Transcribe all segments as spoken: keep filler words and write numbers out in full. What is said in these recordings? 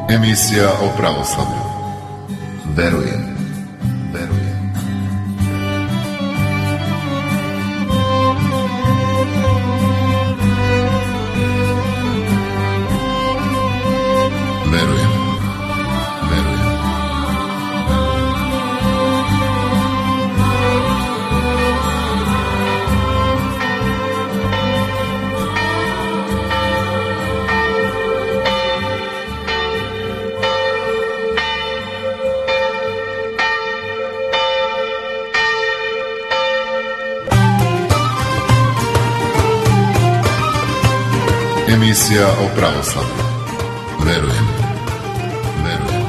Emisija o pravoslavlju. Verujem, verujem. Verujem, verujem. Emisija o pravoslavlju. Verujem, verujem.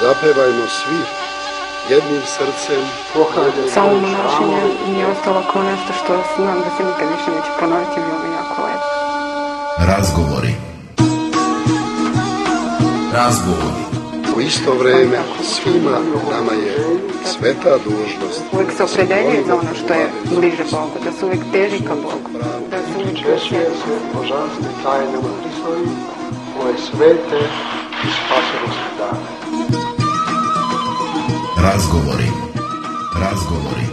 Zapevajmo svi jednim srcem. Samo našenje mi je ostalo kao nešto što znam da se nikad više neće ponoviti, bilo mi jako lepo. Razgovori. Razgovori. U isto vreme svima nama je sveta dužnost. Uvijek se opredeljuje za ono što je bliže Bogu, da se uvijek teži ka Bogu. Da se uvijek češuje se božanstve tajne u Hristovi, ove svete i spasenosti dane. Razgovori. Razgovori.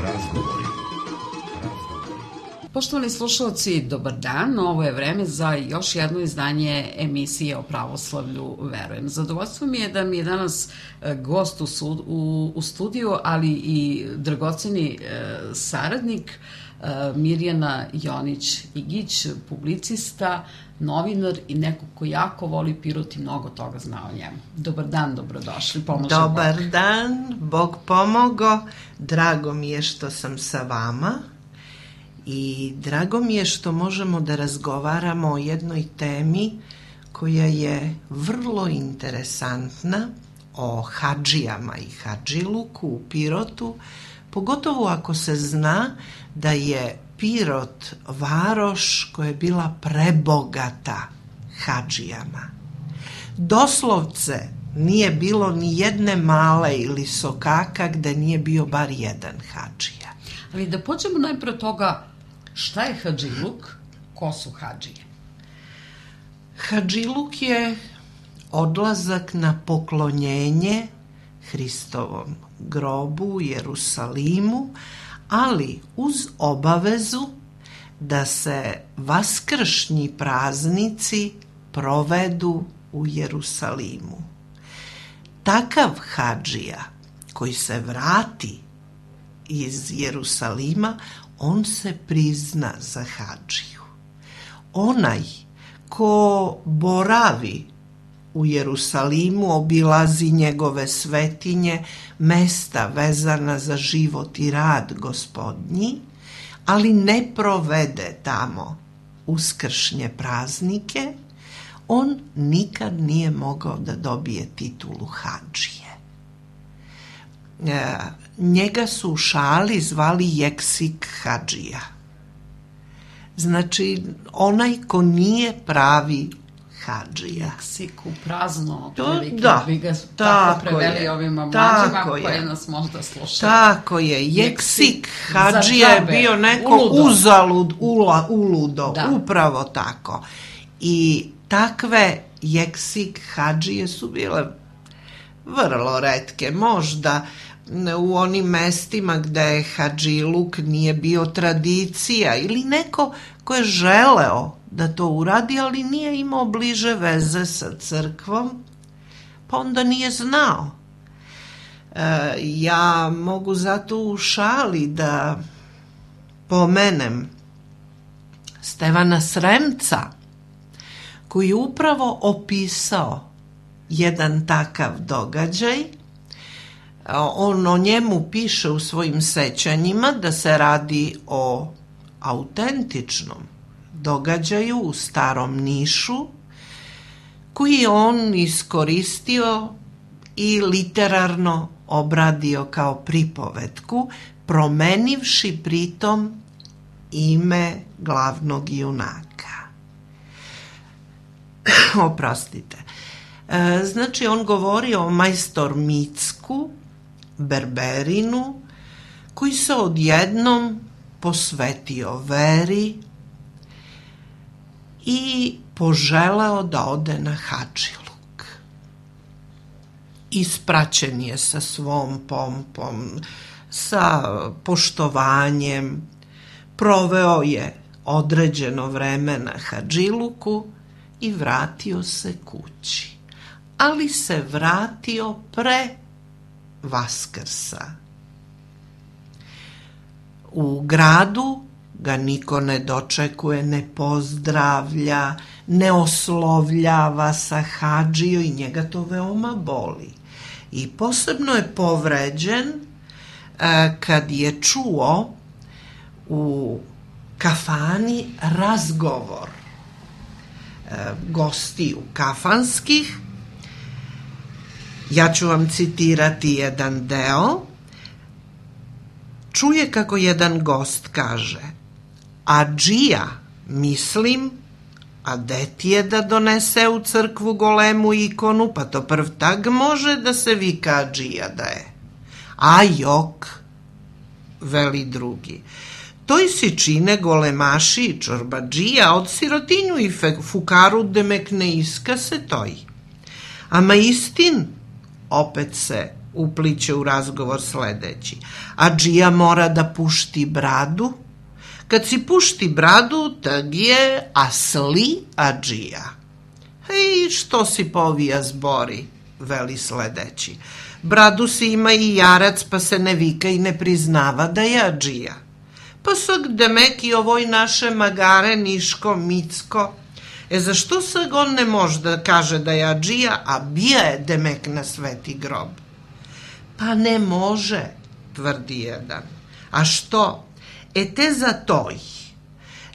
Razgovori. Poštovani slušalci, dobar dan. Ovo je vreme za još jedno izdanje emisije o pravoslavlju Verujem. Zadovoljstvo mi je da mi je danas gost u, sud, u, u studiju, ali i dragoceni e, saradnik e, Mirjana Jonić-Igić, publicista, novinar i neko ko jako voli Pirot i mnogo toga zna o njemu. Dobar dan, dobrodošli. Pomože Dobar Bog. dan, Bog pomogo. Drago mi je što sam sa vama I drago mi je što možemo da razgovaramo o jednoj temi koja je vrlo interesantna, o hadžijama i hadžiluku u Pirotu, pogotovo ako se zna da je Pirot varoš koja je bila prebogata hadžijama. Doslovce nije bilo ni jedne male ili sokaka gde nije bio bar jedan hadžija. Ali da počnemo najpre od toga šta je hadžiluk, ko su hadžije? Hadžiluk je odlazak na poklonjenje Hristovom grobu u Jerusalimu, ali uz obavezu da se vaskršnji praznici provedu u Jerusalimu. Takav hadžija koji se vrati iz Jerusalima, on se prizna za hadžiju. Onaj ko boravi u Jerusalimu, obilazi njegove svetinje, mesta vezana za život i rad Gospodnji, ali ne provede tamo uskršnje praznike, on nikad nije mogao da dobije titulu hadžije. E, njega su u šali zvali jeksik hadžija. Znači, onaj ko nije pravi hadžija. Jeksik u prazno, To, otprilike, da, bi ga tako tako preveli je, ovima mlađima tako koje je. nas možda slušaju. Tako je, jeksik za hadžija je džabe, bio neko uludo. uzalud, ula, uludo, Da. upravo tako. I takve jeksik hadžije su bile vrlo retke, možda u onim mestima gde je hadžiluk nije bio tradicija ili neko ko je želeo da to uradi, ali nije imao bliže veze sa crkvom, pa onda nije znao. E, ja mogu zato u šali da pomenem Stevana Sremca, koji je upravo opisao jedan takav događaj. On o njemu piše u svojim sećanjima da se radi o autentičnom događaju u Starom Nišu, koji je on iskoristio i literarno obradio kao pripovetku, promenivši pritom ime glavnog junaka. Oprostite. Znači, on govori o majstor Micku, berberinu, koji se odjednom posvetio veri i poželeo da ode na hadžiluk. Ispraćen je sa svom pompom, sa poštovanjem, proveo je određeno vreme na hadžiluku i vratio se kući. Ali se vratio pre Vaskrsa. U gradu ga niko ne dočekuje, ne pozdravlja, ne oslovljava sa hadžijom i njega to veoma boli. I posebno je povređen kad je čuo u kafani razgovor gostiju kafanskih. Ja ću vam citirati jedan deo. Čuje kako jedan gost kaže: "Adžija, mislim, a de ti je da donese u crkvu golemu ikonu, pa to prv tag može da se vika adžija da je." "A jok," veli drugi, "toj si čine golemaši i čorbadžija od sirotinju i fukaru demek ne iska se toj. Ama istin," opet se upliće u razgovor sledeći, "adžija mora da pušti bradu. Kad si pušti bradu, tag je asli adžija." "Hej, što si povija zbori," veli sledeći, "bradu si ima i jarac, pa se ne vika i ne priznava da je adžija. Pa sag demek i ovoj naše magare Niško, Micko. E zašto sag on ne može da kaže da je adžija, a bija je demek na sveti grob?" "Pa ne može," tvrdi jedan. "A što? E te za toj.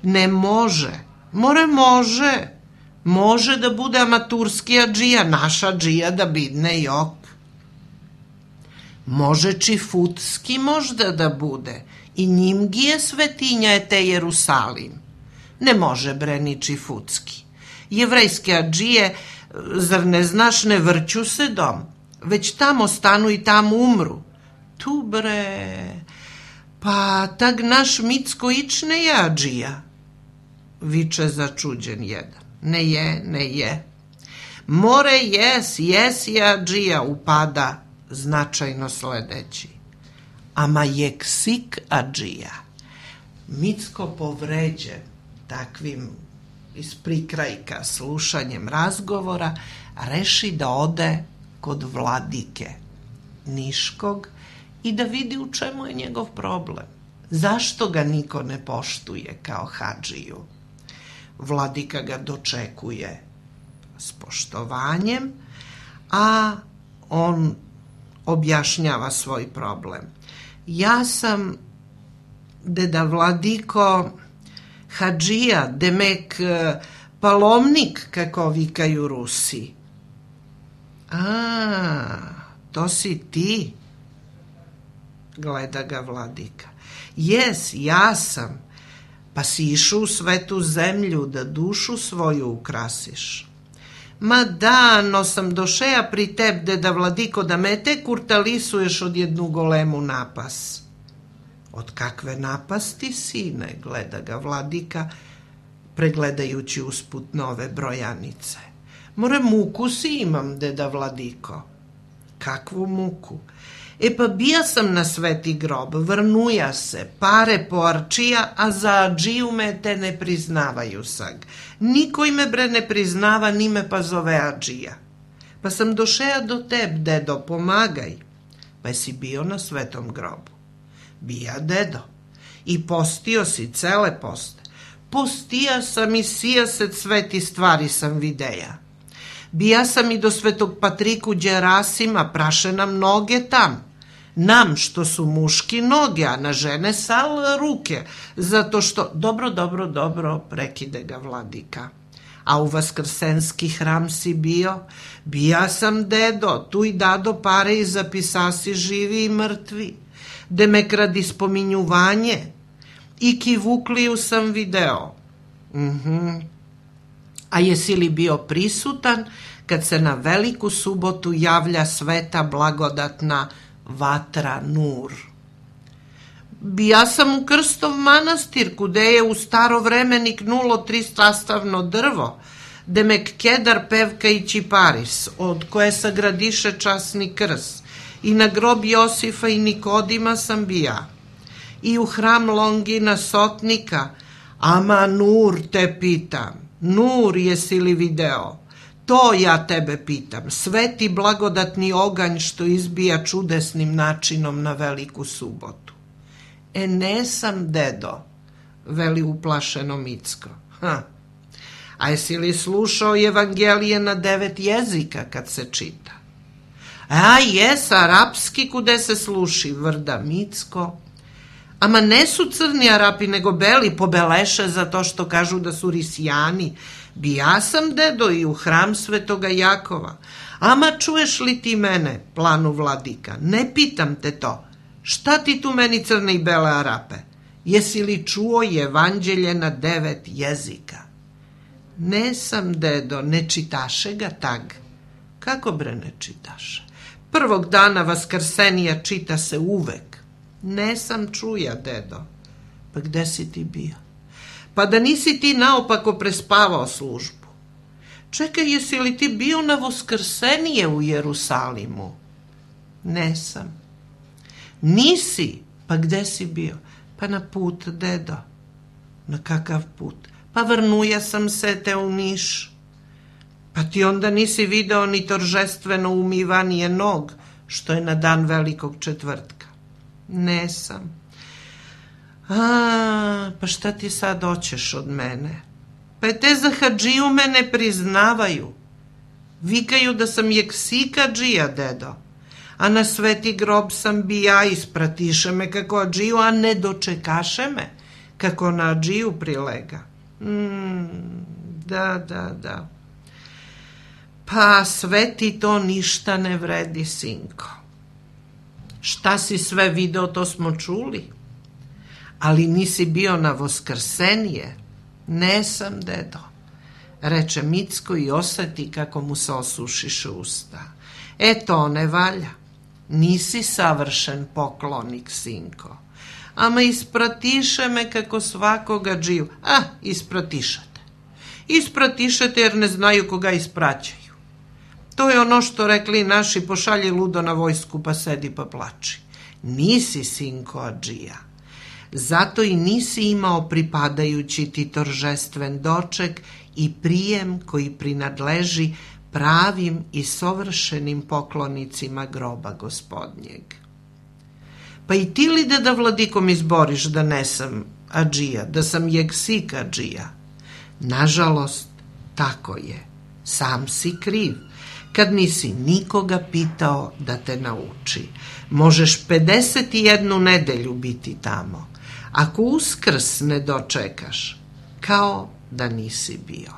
Ne može. More može. Može da bude amaturski adžija, naša adžija da bidne jok. Može čifutski možda da bude. I njim gi je svetinja je te Jerusalim. Ne može bre ni čifutski. Jevrejske adžije, zar ne znaš, ne vrću se dom, već tamo stanu i tamo umru. Tu bre, pa tag naš Micko ič ne je adžija. Viče začuđen jedan. Ne je, ne je. More jes, jes je adžija, upada značajno sledeći. Ama je ksik adžija. Micko povređen takvim iz prikrajka slušanjem razgovora reši da ode kod vladike Niškog i da vidi u čemu je njegov problem. Zašto ga niko ne poštuje kao hadžiju? Vladika ga dočekuje s poštovanjem, a on objašnjava svoj problem. Ja sam, deda vladiko, hadžija, demek palomnik, kako vikaju Rusi. A, to si ti, gleda ga vladika. Jes, ja sam, pa si išao u svetu zemlju da dušu svoju ukrasiš. Ma da, no sam došeja pri teb, deda vladiko, da me te kurtalisuješ od jednu golemu napas. Od kakve napasti, sine, gleda ga vladika, pregledajući usput nove brojanice. More muku si imam, deda vladiko. Kakvu muku? E pa bija sam na sveti grob, vrnuja se, pare po arčija, a za adžiju me te ne priznavaju sag. Niko ime bre ne priznava, ni me pa zove adžija. Pa sam došeja do teb, dedo, pomagaj. Pa si bio na svetom grobu. Bija, dedo. I postio si cele poste. Postija sam i sijaset sveti stvari sam videja. Bija sam i do svetog Patriku Đerasima, praše nam noge tam. Nam što su muški noge, a na žene sal ruke, zato što, dobro, dobro, dobro, prekide ga vladika. A u Vaskrsenski hram si bio? Bija sam, dedo, tu i dado pare i zapisasi živi i mrtvi. Demek radi spominjuvanje. I Kivukliju sam video. Mhm. A jesi li bio prisutan kad se na veliku subotu javlja sveta blagodatna vatra Nur? Bija sam u Krstov manastir, kude je u staro vreme niknulo tristrastavno drvo, demek kedar, pevka i čiparis, od koje sagradiše časni krs, i na grob Josifa i Nikodima sam bija, i u hram Longina Sotnika, ama Nur te pitam, Nur jesi li video? To ja tebe pitam, sveti blagodatni oganj što izbija čudesnim načinom na veliku subotu. E ne sam, dedo, veli uplašeno Micko. Ha. A jesi li slušao evangelije na devet jezika kad se čita? A jes, arapski kude se sluši, vrda Micko. Ama ne su crni Arapi, nego beli, pobeleše zato što kažu da su risijani. Bija sam, dedo, i u hram svetoga Jakova. Ama čuješ li ti mene, planu vladika? Ne pitam te to. Šta ti tu meni crne i bele Arape? Jesi li čuo evanđelje na devet jezika? Ne sam, dedo, ne čitaše ga tag. Kako bre ne čitaše? Prvog dana Vaskrsenija čita se uvek. Ne sam čuja, dedo. Pa gde si ti bio? Pa da nisi ti naopako prespavao službu. Čekaj, jesi li ti bio na Vaskrsenije u Jerusalimu? Ne sam. Nisi? Pa gde si bio? Pa na put, dedo. Na kakav put? Pa vrnuja sam se te u Niš. Pa ti onda nisi video ni toržestveno umivanje nog, što je na dan velikog četvrtka. Ne sam. A, pa šta ti sad hoćeš od mene? Pa te za hadžiju me ne priznavaju. Vikaju da sam jeksika džija, dedo. a na sveti grob sam bi ja, ispratiše me kako adžiju, a ne dočekaše me kako na adžiju prilega. Mm, da, da, da. Pa sve ti to ništa ne vredi, sinko. Šta si sve video, to smo čuli. Ali nisi bio na Voskrsenije. Nesam, dedo, reče Micko i oseti kako mu se osušiše usta. E to ne valja. Nisi savršen poklonik, sinko. Ama ispratiše me kako svakoga džiju. A, ispratišete. Ispratišete jer ne znaju koga ispraćaju. To je ono što rekli naši, pošalji ludo na vojsku pa sedi pa plači. Nisi, sinko, adžija. Zato i nisi imao pripadajući ti toržestven doček i prijem koji prinadleži pravim i savršenim poklonicima groba gospodnjeg. Pa i ti li da da vladikom izboriš da ne sam adžija, da sam jegsik adžija? Nažalost, tako je. Sam si kriv, kad nisi nikoga pitao da te nauči. Možeš pedeset jednu nedelju biti tamo. Ako Uskrs ne dočekaš, kao da nisi bio.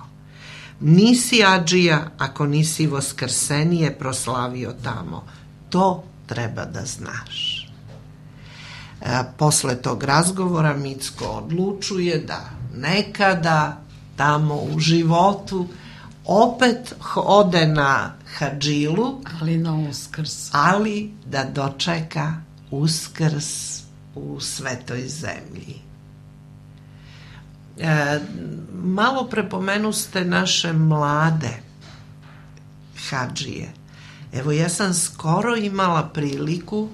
Nisi adžija ako nisi Voskrsenije proslavio tamo. To treba da znaš. E, posle tog razgovora Micko odlučuje da nekada tamo u životu opet ode na hadžilu, ali na Uskrs. Ali da dočeka Uskrs u svetoj zemlji. E, malo prepomenu ste naše mlade hadžije. Evo, ja sam skoro imala priliku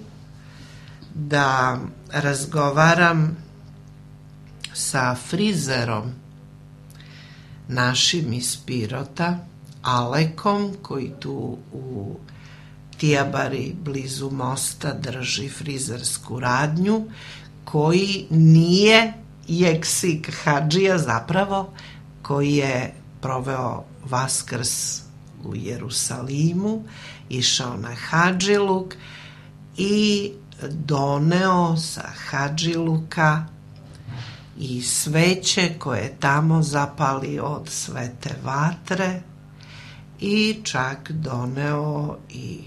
da razgovaram sa frizerom našim iz Pirota, Alekom, koji tu u Tijabari blizu mosta drži frizersku radnju, koji nije jeksik hadžija zapravo, koji je proveo Vaskrs u Jerusalimu, išao na hadžiluk i doneo sa hadžiluka i sveće koje je tamo zapalio od svete vatre i čak doneo i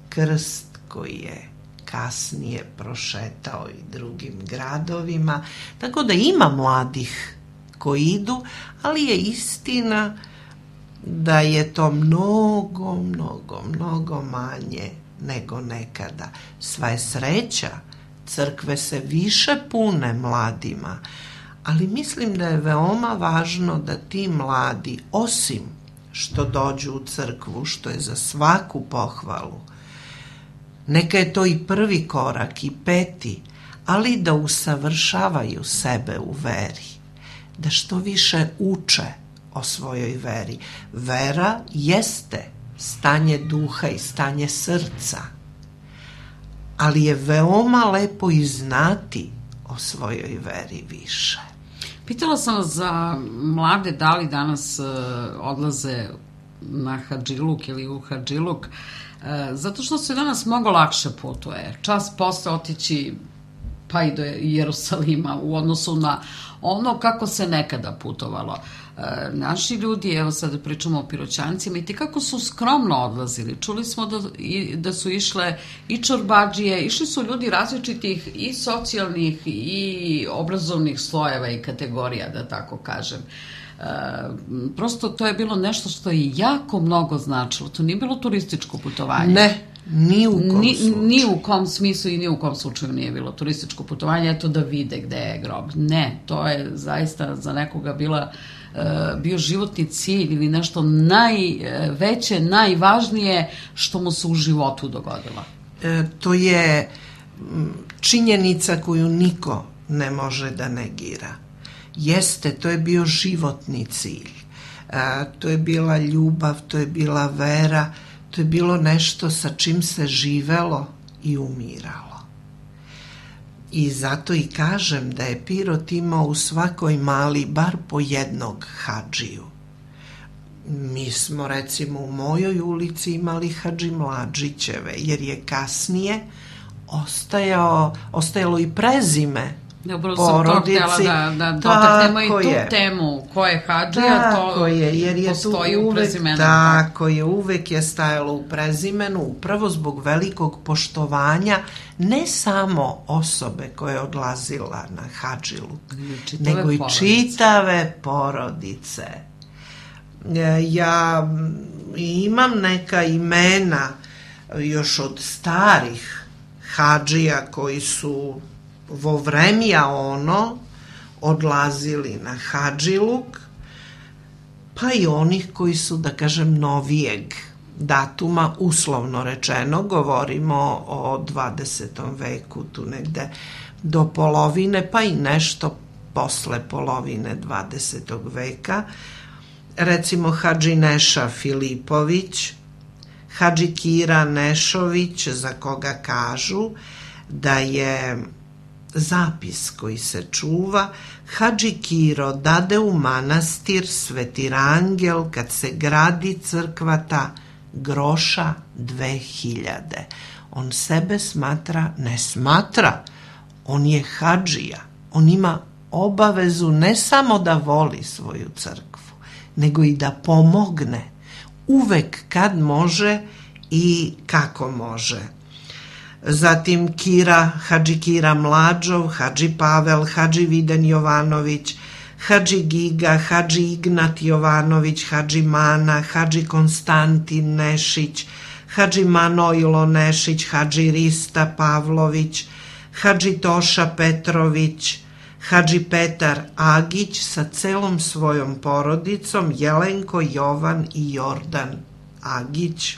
krst koji je kasnije prošetao i drugim gradovima. Tako da ima mladih koji idu, ali je istina da je to mnogo, mnogo, mnogo manje nego nekada. Sva je sreća, crkve se više pune mladima, ali mislim da je veoma važno da ti mladi, osim što dođu u crkvu, što je za svaku pohvalu, neka je to i prvi korak i peti, ali da usavršavaju sebe u veri, da što više uče o svojoj veri. Vera jeste stanje duha i stanje srca, ali je veoma lepo i znati o svojoj veri više. Pitala sam vas za mlade da li danas uh, odlaze na hadžiluk ili u hadžiluk, uh, zato što se danas mnogo lakše putuje. Čas posle otići pa i do Jerusalima u odnosu na ono kako se nekada putovalo. E, naši ljudi, evo sad pričamo o Piroćancima, i ti kako su skromno odlazili. Čuli smo da, i, da su išle i čorbadžije, išli su ljudi različitih i socijalnih i obrazovnih slojeva i kategorija, da tako kažem. E, prosto to je bilo nešto što je jako mnogo značilo. To nije bilo turističko putovanje. Ne. Ni u kom ni, slučaju. Ni u kom smislu i ni u kom slučaju nije bilo turističko putovanje, eto da vide gde je grob. Ne, to je zaista za nekoga bila, uh, bio životni cilj ili nešto najveće, najvažnije što mu se u životu dogodilo. E, to je činjenica koju niko ne može da negira. Jeste, to je bio životni cilj. E, to je bila ljubav, to je bila vera, to je bilo nešto sa čim se živelo i umiralo. I zato i kažem da je Pirot imao u svakoj mali bar po jednog hadžiju. Mi smo recimo u mojoj ulici imali Hadži Mladžićeve, jer je kasnije ostajao, ostajalo i prezime Dobro, porodici. sam to htjela da, da dotaknemo i tu je. Temu ko je Hadžija, to je, jer je postoji tu uvek, u prezimenu. Tako je, uvek je stajalo u prezimenu, upravo zbog velikog poštovanja ne samo osobe koja je odlazila na Hadžiluk, nego i porodice. čitave porodice. Ja imam neka imena još od starih hadžija koji su vo vremja ono odlazili na Hadžiluk, pa i onih koji su, da kažem, novijeg datuma, uslovno rečeno, govorimo o dvadesetom veku, tu negde do polovine, pa i nešto posle polovine dvadesetog veka. Recimo Hadži Neša Filipović, Hadži Kira Nešović, za koga kažu da je zapis koji se čuva: Hadži Kiro dade u manastir Sveti Rangel kad se gradi crkva ta groša dve hiljade. On sebe smatra, ne smatra, on je hadžija, on ima obavezu ne samo da voli svoju crkvu, nego i da pomogne uvek kad može i kako može. Zatim Kira, Hadži Kira Mlađov, Hadži Pavel, Hadži Viden Jovanović, Hadži Giga, Hadži Ignat Jovanović, Hadži Mana, Hadži Konstantin Nešić, Hadži Manojlo Nešić, Hadži Rista Pavlović, Hadži Toša Petrović, Hadži Petar Agić sa celom svojom porodicom, Jelenko, Jovan i Jordan Agić,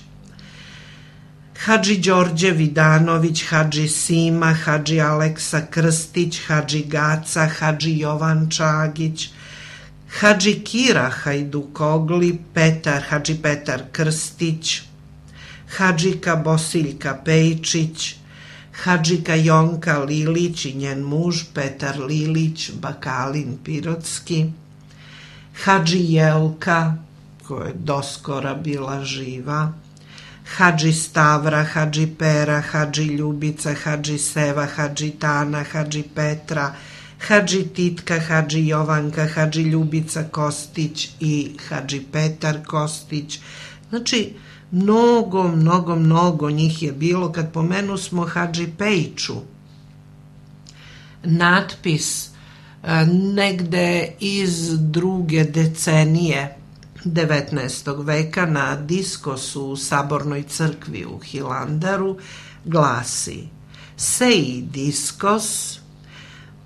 Hadži Đorđe Vidanović, Hadži Sima, Hadži Aleksa Krstić, Hadži Gaca, Hadži Jovan Čagić, Hadži Kira Hajdukogli, Petar, Hadži Petar Krstić, Hadžika Bosiljka Pejčić, Hadžika Jonka Lilić i njen muž Petar Lilić, Bakalin Pirotski, Hadži Jelka, koja je doskora bila živa, Hadži Stavra, Hadži Pera, Hadži Ljubica, Hadži Seva, Hadži Tana, Hadži Petra, Hadži Titka, Hadži Jovanka, Hadži Ljubica Kostić i Hadži Petar Kostić. Znači, mnogo, mnogo, mnogo njih je bilo. Kad pomenu smo Hadži Pejču, natpis negde iz druge decenije devetnaestog veka na diskosu u Sabornoj crkvi u Hilandaru glasi: Seji diskos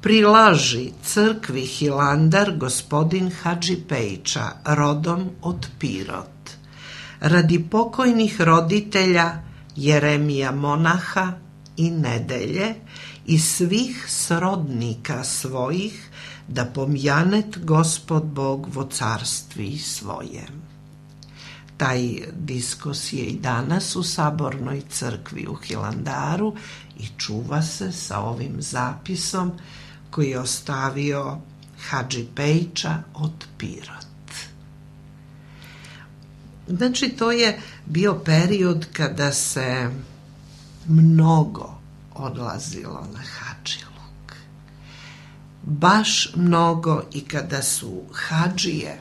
prilaži crkvi Hilandar gospodin Hadži Pejča, rodom od Pirot, radi pokojnih roditelja Jeremija Monaha i Nedelje i svih srodnika svojih, da pomjanet Gospod Bog vo carstvi svojem. Taj diskos je i danas u Sabornoj crkvi u Hilandaru i čuva se sa ovim zapisom koji je ostavio Hadži Pejča od Pirot. Znači, to je bio period kada se mnogo odlazilo na Hadžiluk. Baš mnogo, i kada su hadžije,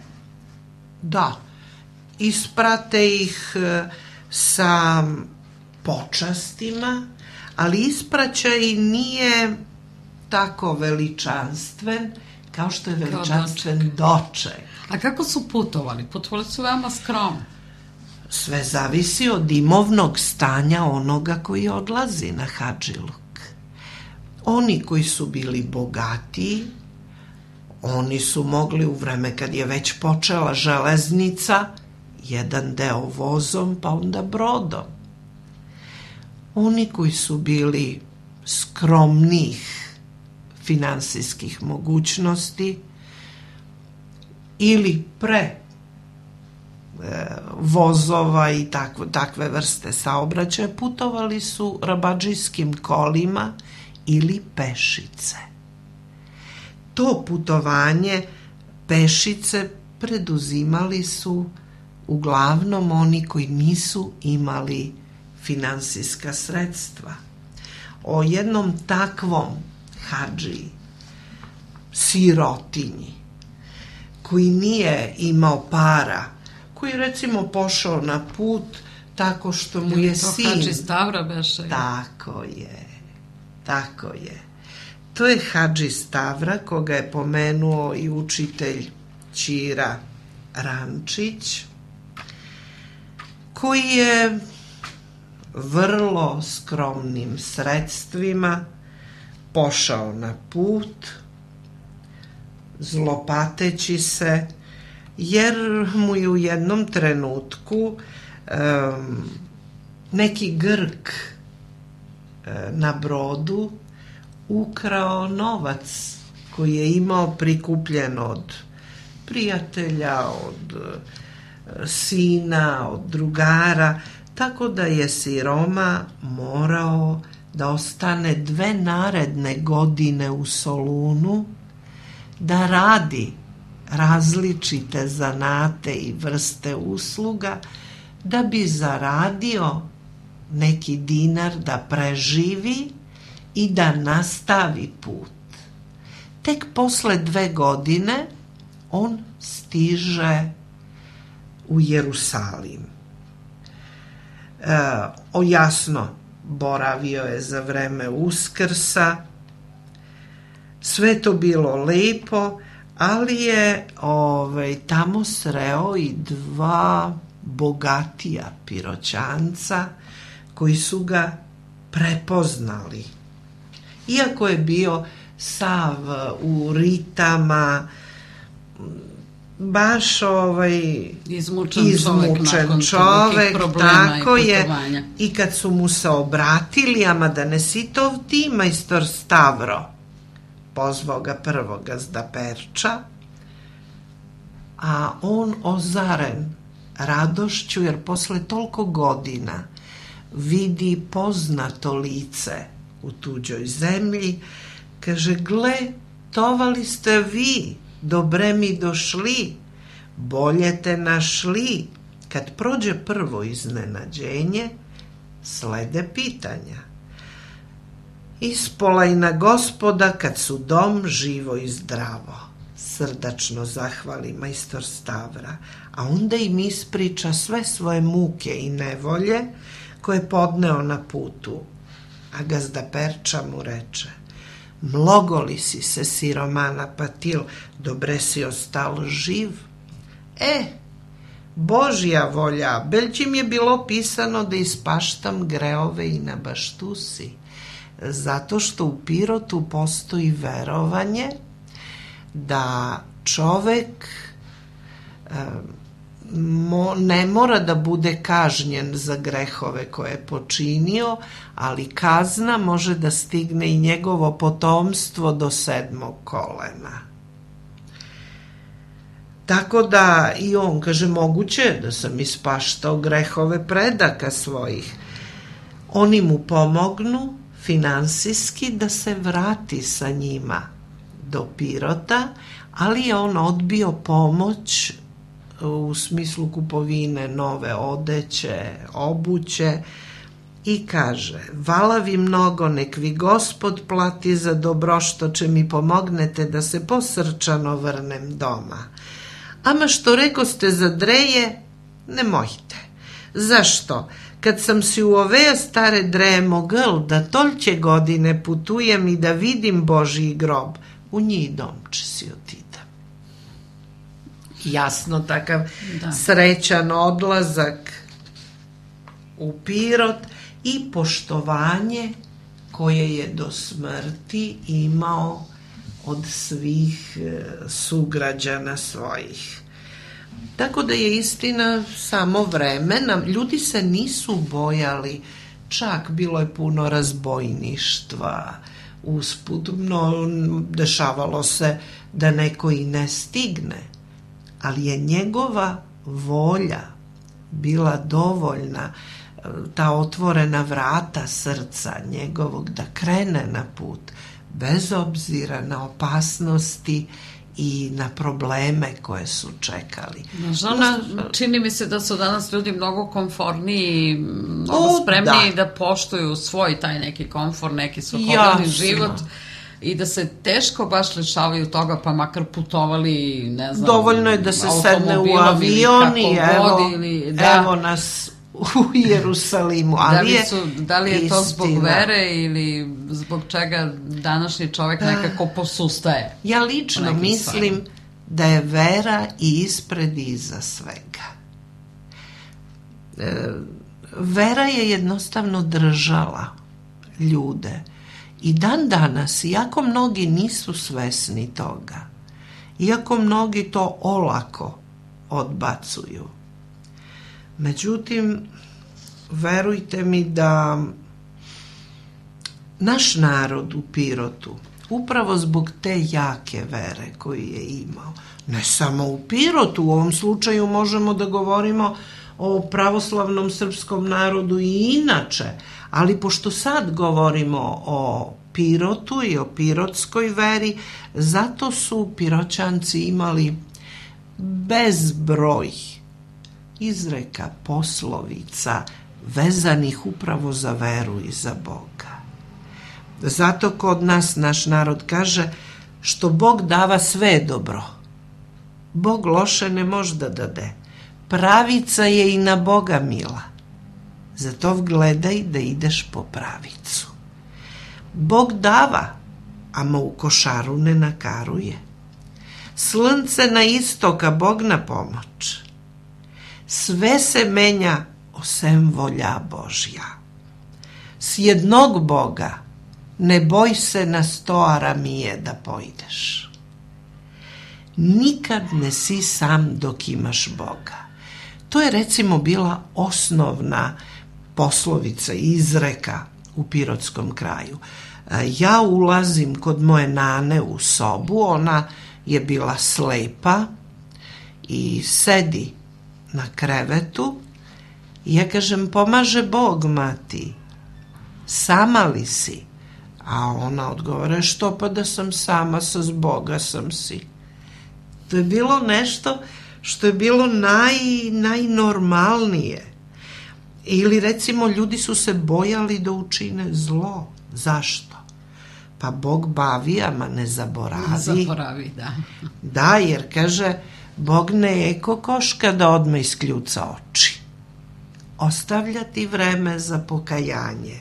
da, isprate ih sa počastima, ali ispraćaj nije tako veličanstven kao što je veličanstven doček. A kako su putovali? Putovali su veoma skromno. Sve zavisi od imovnog stanja onoga koji odlazi na Hadžiluk. Oni koji su bili bogatiji, oni su mogli u vreme kad je već počela železnica, jedan deo vozom, pa onda brodom. Oni koji su bili skromnih finansijskih mogućnosti ili pre e, vozova i takve, takve vrste saobraćaja, putovali su rabadžijskim kolima ili pešice. To putovanje pešice preduzimali su uglavnom oni koji nisu imali finansijska sredstva. O jednom takvom hadžiji, sirotinji, koji nije imao para, koji je recimo pošao na put tako što mu je sin... To hadži Stavra beše. Tako je, tako je. To je hadži Stavra, koga je pomenuo i učitelj Ćira Rančić, koji je vrlo skromnim sredstvima pošao na put, zlopateći se, jer mu je u jednom trenutku um, neki Grk uh, na brodu ukrao novac koji je imao prikupljen od prijatelja, od uh, sina, od drugara, tako da je siroma morao da ostane dve naredne godine u Solunu, da radi različite zanate i vrste usluga, da bi zaradio neki dinar da preživi i da nastavi put. Tek posle dve godine on stiže u Jerusalim. E, o jasno, boravio je za vreme Uskrsa, sve to bilo lepo, ali je ovaj, tamo sreo i dva bogatija Piroćanca koji su ga prepoznali. Iako je bio sav u ritama, baš ovaj izmučen, izmučen čovek, čovek tako je, i, i kad su mu se obratili, ama da ne si to ti, majstor Stavro, pozvao ga prvo gazda Perča, a on ozaren radošću, jer posle toliko godina vidi poznato lice u tuđoj zemlji, kaže, gle, tovali ste vi, dobre mi došli, bolje te našli. Kad prođe prvo iznenađenje, slede pitanja. Ispola i na gospoda kad su dom živo i zdravo. Srdačno zahvali majstor Stavra, a onda im ispriča sve svoje muke i nevolje koje podneo na putu. A gazda Perča mu reče, mnogo li si se siromana patil, dobre si ostal živ? E, Božja volja, belćim je bilo pisano da ispaštam greove i na baštusi, zato što u Pirotu postoji verovanje da čovek e, mo, ne mora da bude kažnjen za grehove koje je počinio, ali kazna može da stigne i njegovo potomstvo do sedmog kolena. Tako da i on kaže, moguće da sam ispaštao grehove predaka svojih. Oni mu pomognu finansijski da se vrati sa njima do Pirota, ali je on odbio pomoć u smislu kupovine nove odeće, obuće i kaže, vala vi mnogo, nek vi Gospod plati za dobro što će mi pomognete da se posrčano vrnem doma. Ama što rekoste za dreje, nemojte. Zašto? Kad sam si u ove stare dreje mogel da tolće godine putujem i da vidim Božji grob, u njih domče si otidem. Jasno, takav da. Srećan odlazak u Pirot i poštovanje koje je do smrti imao od svih sugrađana svojih. Tako da je istina samo vremena, ljudi se nisu bojali, čak bilo je puno razbojništva, usput, no, dešavalo se da neko i ne stigne, ali je njegova volja bila dovoljna, ta otvorena vrata srca njegovog da krene na put, bez obzira na opasnosti i na probleme koje su čekali. Nažalost, Na, čini mi se da su danas ljudi mnogo komforniji i mnogo O, spremniji da. da poštuju svoj taj neki komfor, neki svakodnevni Jasno. život i da se teško baš lišavaju toga, pa makar putovali, ne znam, dovoljno je da se sedne u automobilom ili avion i kako evo, god, ili, da, evo nas u Jerusalimu. Ali da li, je su, da li je to zbog istina. vere ili zbog čega današnji čovek nekako posustaje? Ja u lično nekim mislim stvarima. da je vera i ispred i iza svega. E, vera je jednostavno držala ljude. I dan danas, iako mnogi nisu svesni toga, iako mnogi to olako odbacuju, međutim, verujte mi da naš narod u Pirotu, upravo zbog te jake vere koju je imao, ne samo u Pirotu, u ovom slučaju možemo da govorimo o pravoslavnom srpskom narodu i inače, ali pošto sad govorimo o Pirotu i o pirotskoj veri, zato su Piroćanci imali bezbroj izreka, poslovica vezanih upravo za veru i za Boga. Zato kod nas naš narod kaže što Bog dava sve je dobro. Bog loše ne može da dade. Pravica je i na Boga mila. Zato gledaj da ideš po pravicu. Bog dava, ama u košaru ne nakaruje. Slnce na istok, a Bog na pomoć. Sve se menja osem volja Božja. S jednog Boga ne boj se na sto aramije da pojdeš. Nikad ne si sam dok imaš Boga. To je recimo bila osnovna poslovica, izreka u pirotskom kraju. Ja ulazim kod moje nane u sobu, ona je bila slepa i sedi na krevetu i ja kažem, pomaže Bog, mati, sama li si? A ona odgovara, što pa da sam sama, sa zboga sam si. To je bilo nešto što je bilo naj, najnormalnije. Ili recimo ljudi su se bojali da učine zlo. Zašto? Pa Bog bavi, ama ne zaboravi. Zaboravi, da. Da, jer kaže, Bog ne je ko koška da odmah iskljuca oči. Ostavlja ti vreme za pokajanje.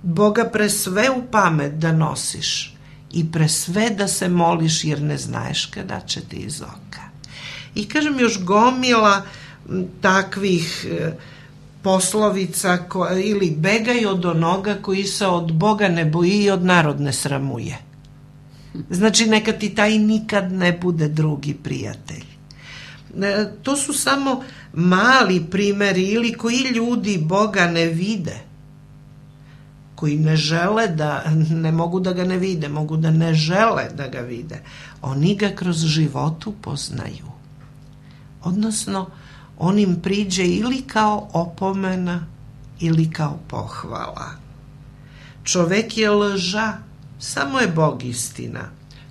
Boga pre sve u pamet da nosiš i pre sve da se moliš jer ne znaš kada će ti iz oka. I kažem još gomila takvih e, poslovica ko, ili begaj od onoga koji se od Boga ne boji i od narod ne sramuje. Znači neka ti taj nikad ne bude drugi prijatelj. E, to su samo mali primeri ili koji ljudi Boga ne vide, koji ne žele da, ne mogu da ga ne vide, mogu da ne žele da ga vide. Oni ga kroz život upoznaju. Odnosno, on im priđe ili kao opomena ili kao pohvala. Čovek je lža, samo je Bog istina.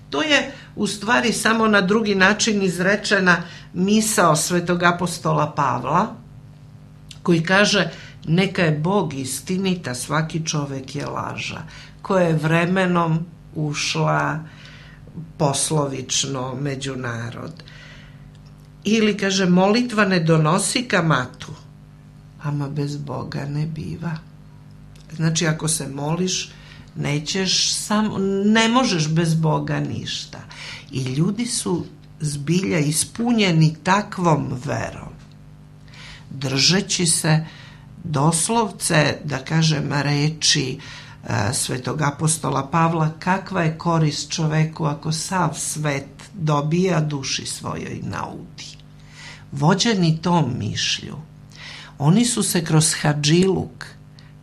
To je u stvari samo na drugi način izrečena misao svetog apostola Pavla, koji kaže, neka je Bog istinita, svaki čovek je laža, koja je vremenom ušla poslovično među narod. Ili kaže, molitva ne donosi kamatu, ama bez Boga ne biva. Znači, ako se moliš, nećeš sam, ne možeš bez Boga ništa. I ljudi su zbilja ispunjeni takvom verom, držeći se doslovce, da kažem, reči e, svetog apostola Pavla, kakva je korist čoveku ako sav svet dobija, duši svojoj naudi. Vođeni tom mišlju, oni su se kroz hadžiluk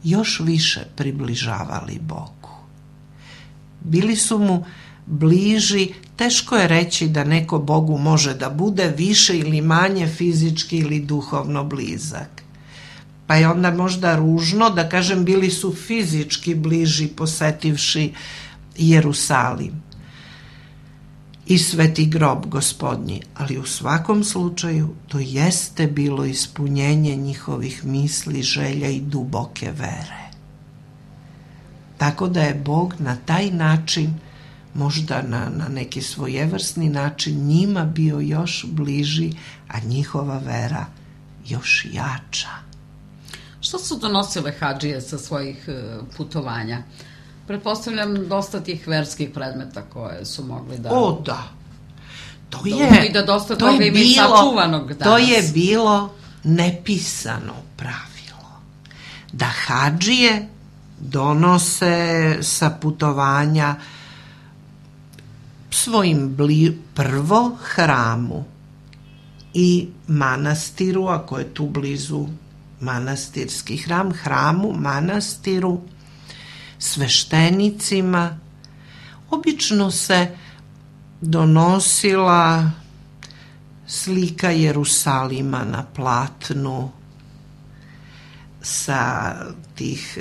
još više približavali Bogu. Bili su mu bliži, teško je reći da neko Bogu može da bude više ili manje fizički ili duhovno blizak. Pa je onda možda ružno da kažem bili su fizički bliži posetivši Jerusalim. i sveti grob gospodnji, ali u svakom slučaju to jeste bilo ispunjenje njihovih misli, želja i duboke vere. Tako da je Bog na taj način, možda na, na neki svojevrsni način, njima bio još bliži, a njihova vera još jača. Što su donosile hadžije sa svojih putovanja? Pretpostavljam dosta tih verskih predmeta koje su mogli da... O, da. To da je, i da dosta to toga je ima i bilo, sačuvanog danas. To je bilo nepisano pravilo. Da hadžije donose sa putovanja svojim bli, prvo hramu i manastiru, ako je tu blizu manastirski hram, hramu, manastiru, sveštenicima. Obično se donosila slika Jerusalima na platnu sa tih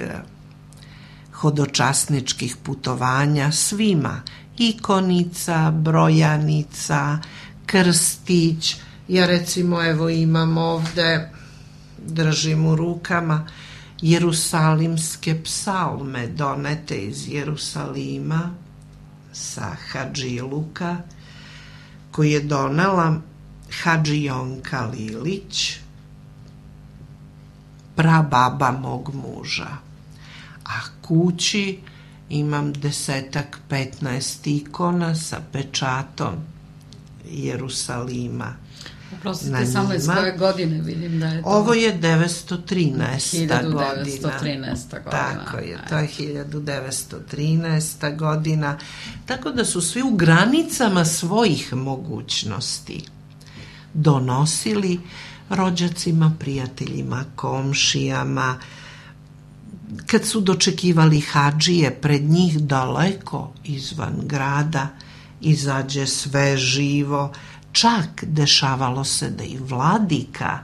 hodočasničkih putovanja svima, ikonica, brojanica, krstić. Ja recimo evo imam ovde, držim u rukama, jerusalimske psalme donete iz Jerusalima sa Hadžiluka, koji je donela Hadžijonka Lilić, prababa mog muža. A kući imam desetak, petnaest ikona sa pečatom Jerusalima. Oprostite, samo iz koje godine vidim da je to? Ovo je devetsto trinaesta godina. hiljadu devetsto trinaesta godina. Tako je, to je hiljadu devetsto trinaesta godina. Tako da su svi u granicama svojih mogućnosti donosili rođacima, prijateljima, komšijama. Kad su dočekivali hadžije, pred njih daleko izvan grada izađe sve živo. Čak dešavalo se da i vladika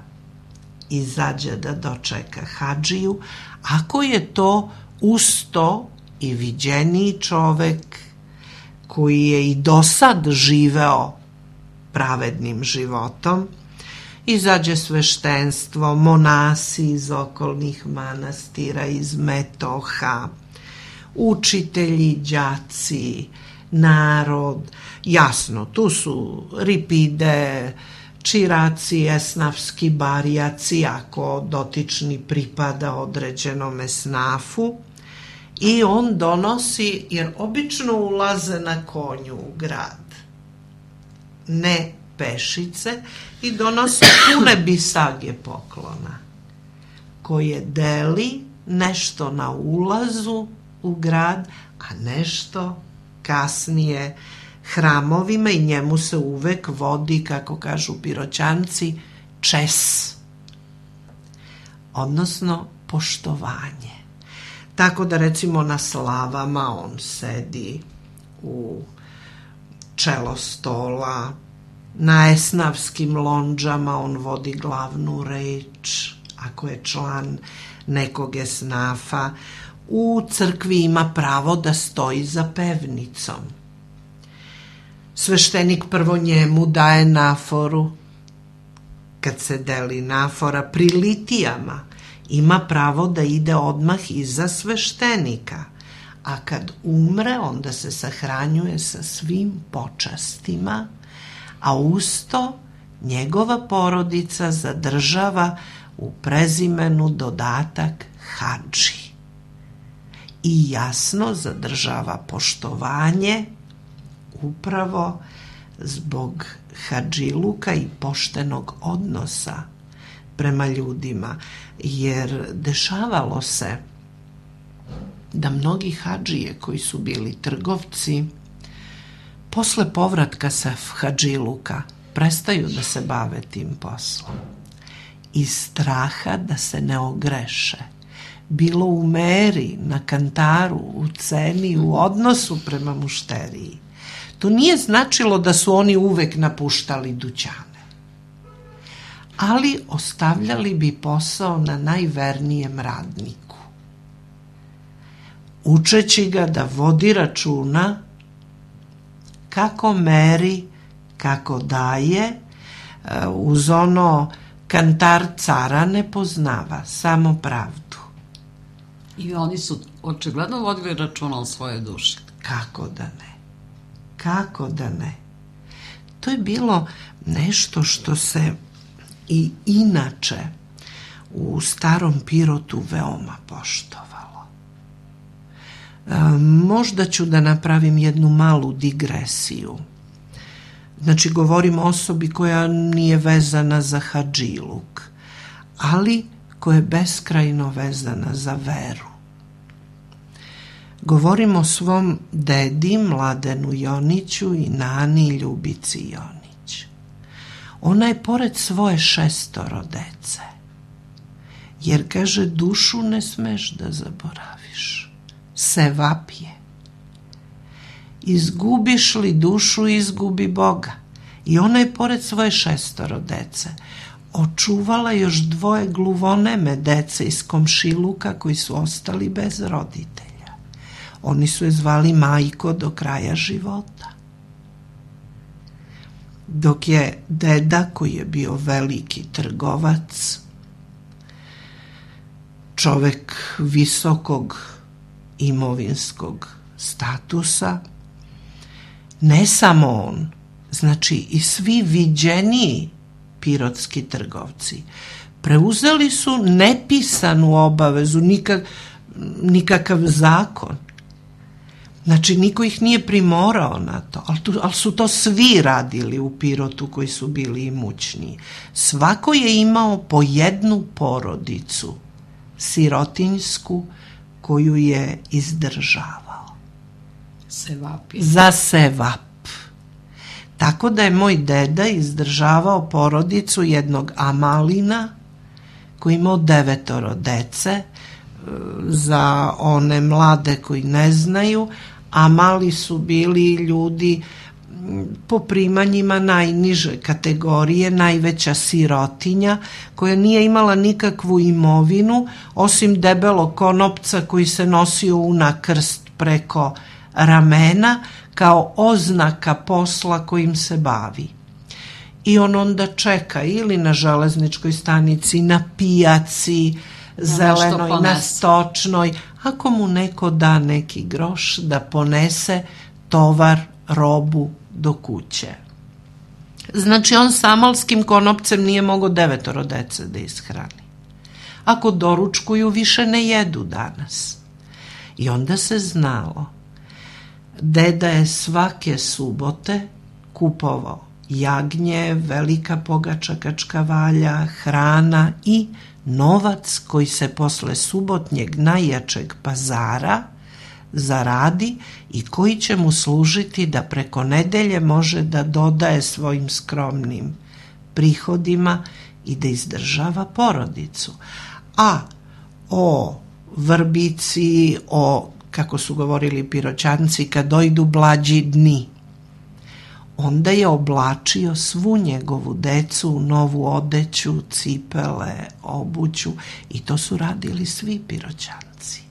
izađe da dočeka hadžiju, ako je to usto i viđeniji čovek koji je i do sad živeo pravednim životom. Izađe sveštenstvo, monasi iz okolnih manastira, iz metoha, učitelji, đaci, narod. Jasno, tu su ripide, čiraci, esnafski barijaci, ako dotični pripada određenom esnafu, i on donosi, jer obično ulaze na konju u grad, ne pešice, i donosi pune bisage poklona, koje deli nešto na ulazu u grad, a nešto kasnije hramovima, i njemu se uvek vodi, kako kažu Piroćanci, čes, odnosno poštovanje. Tako da recimo na slavama on sedi u čelo stola, na esnafskim londžama on vodi glavnu reč, ako je član nekog esnafa. U crkvi ima pravo da stoji za pevnicom. Sveštenik prvo njemu daje naforu. Kad se deli nafora pri litijama, ima pravo da ide odmah iza sveštenika, a kad umre, onda se sahranjuje sa svim počastima, a usto njegova porodica zadržava u prezimenu dodatak hadži i jasno zadržava poštovanje upravo zbog hadžiluka i poštenog odnosa prema ljudima, jer dešavalo se da mnogi hadžije koji su bili trgovci posle povratka sa hadžiluka prestaju da se bave tim poslom iz straha da se ne ogreše, bilo u meri, na kantaru, u ceni, u odnosu prema mušteriji. To nije značilo da su oni uvek napuštali dućane, ali ostavljali bi posao na najvernijem radniku, učeći ga da vodi računa kako meri, kako daje, uz ono kantar cara ne poznava, samo pravdu. I oni su očigledno vodili računa o svojoj duši. Kako da ne? Kako da ne? To je bilo nešto što se i inače u starom Pirotu veoma poštovalo. E, možda ću da napravim jednu malu digresiju. Znači, govorim o osobi koja nije vezana za hadžiluk, ali koja je beskrajno vezana za veru. Govorim o svom dedi Mladenu Joniću i nani Ljubici Jonić. Ona je pored svoje šestoro dece, jer kaže, dušu ne smeš da zaboraviš, sevap je. Izgubiš li dušu, izgubi Boga. I ona je pored svoje šestoro dece očuvala još dvoje gluvoneme dece iz komšiluka koji su ostali bez roditelja. Oni su je zvali majko do kraja života. Dok je deda, koji je bio veliki trgovac, čovek visokog imovinskog statusa, ne samo on, znači i svi viđeniji pirotski trgovci preuzeli su nepisanu obavezu, nikak, nikakav zakon. Znači, niko ih nije primorao na to, ali, tu, ali su to svi radili u Pirotu koji su bili imućniji. Svako je imao po jednu porodicu sirotinjsku koju je izdržavao. Sevap je. Za sevap. Tako da je moj deda izdržavao porodicu jednog Amalina koji imao devetoro dece. Za one mlade koji ne znaju, Amali su bili ljudi po primanjima najniže kategorije, najveća sirotinja koja nije imala nikakvu imovinu osim debelog konopca koji se nosio na krst preko ramena kao oznaka posla kojim se bavi. I on onda čeka ili na železničkoj stanici, na pijaci, zelenoj, na stočnoj, ako mu neko da neki groš da ponese tovar, robu do kuće. Znači, on s amalskim konopcem nije mogao devetoro dece da ishrani. Ako doručkuju, više ne jedu danas. I onda se znalo, deda je svake subote kupovao jagnje, velika pogača kačkavalja, hrana i novac koji se posle subotnjeg najjačeg pazara zaradi i koji će mu služiti da preko nedelje može da dodaje svojim skromnim prihodima i da izdržava porodicu. A o vrbici, o, kako su govorili Piroćanci, kad dojdu blađi dni, onda je oblačio svu njegovu decu u novu odeću, cipele, obuću i to su radili svi Piroćanci.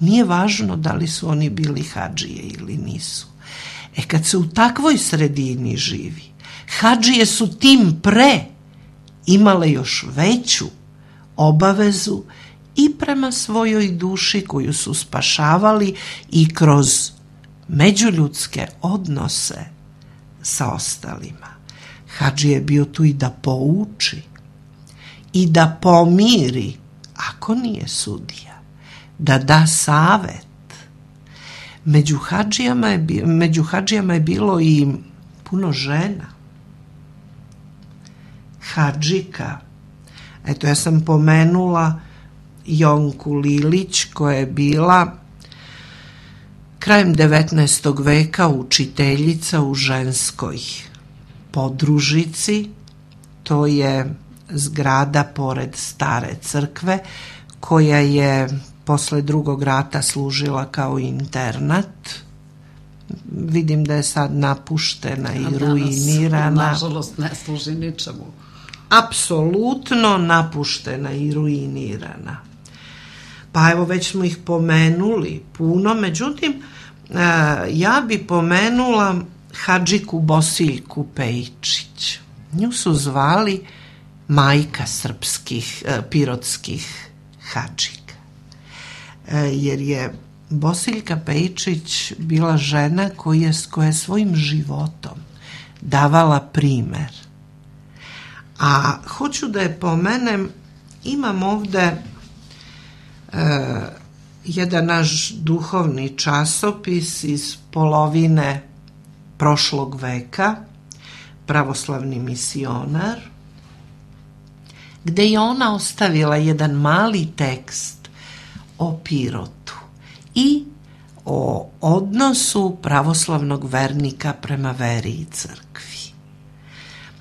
Nije važno da li su oni bili hadžije ili nisu. E kad se u takvoj sredini živi, hadžije su tim pre imale još veću obavezu i prema svojoj duši koju su spašavali i kroz međuljudske odnose sa ostalima. Hadži je bio tu i da pouči i da pomiri, ako nije sudija, da da savet. Među hadžijama je, među hadžijama je bilo i puno žena. Hadžika, eto, ja sam pomenula Jonku Lilić koja je bila krajem devetnaestog veka učiteljica u ženskoj podružici, to je zgrada pored stare crkve koja je posle drugog rata služila kao internat. Vidim da je sad napuštena i ruinirana. Nažalost ne služi ničemu. Apsolutno napuštena i ruinirana. Pa evo, već smo ih pomenuli puno, međutim, ja bi pomenula hadžiku Bosiljku Pejičić. Nju su zvali majka srpskih, pirotskih hadžika. Jer je Bosiljka Pejičić bila žena koja je, koja je svojim životom davala primer. A hoću da je pomenem, imam ovde e, jedan naš duhovni časopis iz polovine prošlog veka, Pravoslavni misionar, gde je ona ostavila jedan mali tekst o Pirotu i o odnosu pravoslavnog vernika prema veri i crkvi.